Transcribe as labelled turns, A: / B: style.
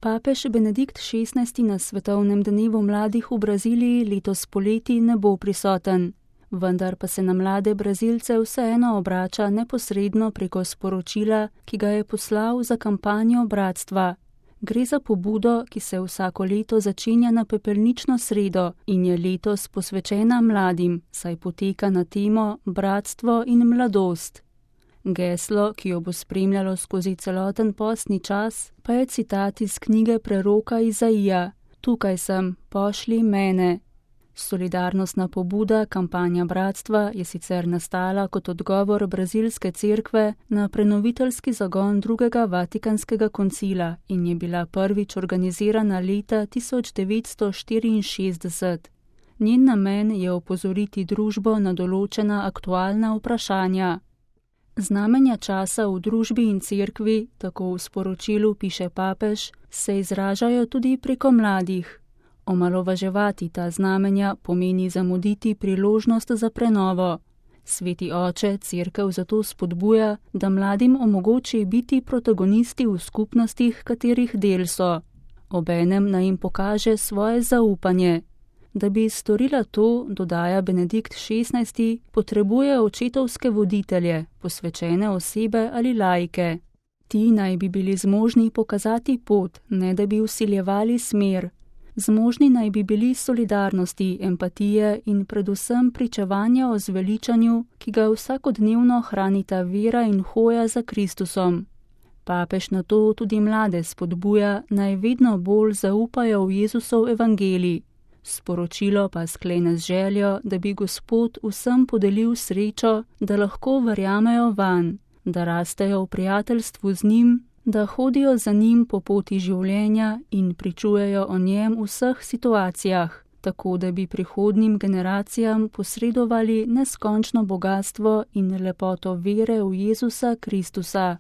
A: Papež Benedikt XVI. Na svetovnem dnevu mladih v Braziliji letos poleti ne bo prisoten, vendar pa se na mlade Brazilce vseeno obrača neposredno preko sporočila, ki ga je poslal za kampanjo bratstva. Gre za pobudo, ki se vsako leto začenja na pepelnično sredo in je letos posvečena mladim, saj poteka na temo Bratstvo in mladost. Geslo, ki jo bo spremljalo skozi celoten postni čas, pa je citat iz knjige preroka Izaija: Tukaj sem, pošlji mene. Solidarnostna pobuda kampanja bratstva je sicer nastala kot odgovor brazilske cerkve na prenoviteljski zagon drugega Vatikanskega koncila in je bila prvič organizirana leta 1964. Njen namen je opozoriti družbo na določena aktualna vprašanja. Znamenja časa v družbi in cerkvi, tako v sporočilu piše papež, se izražajo tudi preko mladih. Omalovaževati ta znamenja pomeni zamuditi priložnost za prenovo. Sveti oče cerkev zato spodbuja, da mladim omogoči biti protagonisti v skupnostih, katerih del so. Obenem naj jim pokaže svoje zaupanje. Da bi storila to, dodaja Benedikt XVI., potrebuje očetovske voditelje, posvečene osebe ali laike. Ti naj bi bili zmožni pokazati pot, ne da bi vsiljevali smer. Zmožni naj bi bili solidarnosti, empatije in predvsem pričevanja o zveličanju, ki ga vsakodnevno hranita vera in hoja za Kristusom. Papež na to tudi mlade spodbuja, naj vedno bolj zaupajo v Jezusov evangelij. Sporočilo pa sklene z željo, da bi Gospod vsem podelil srečo, da lahko verjamejo vanj, da rastejo v prijateljstvu z njim, da hodijo za njim po poti življenja in pričujejo o njem v vseh situacijah, tako da bi prihodnjim generacijam posredovali neskončno bogatstvo in lepoto vere v Jezusa Kristusa.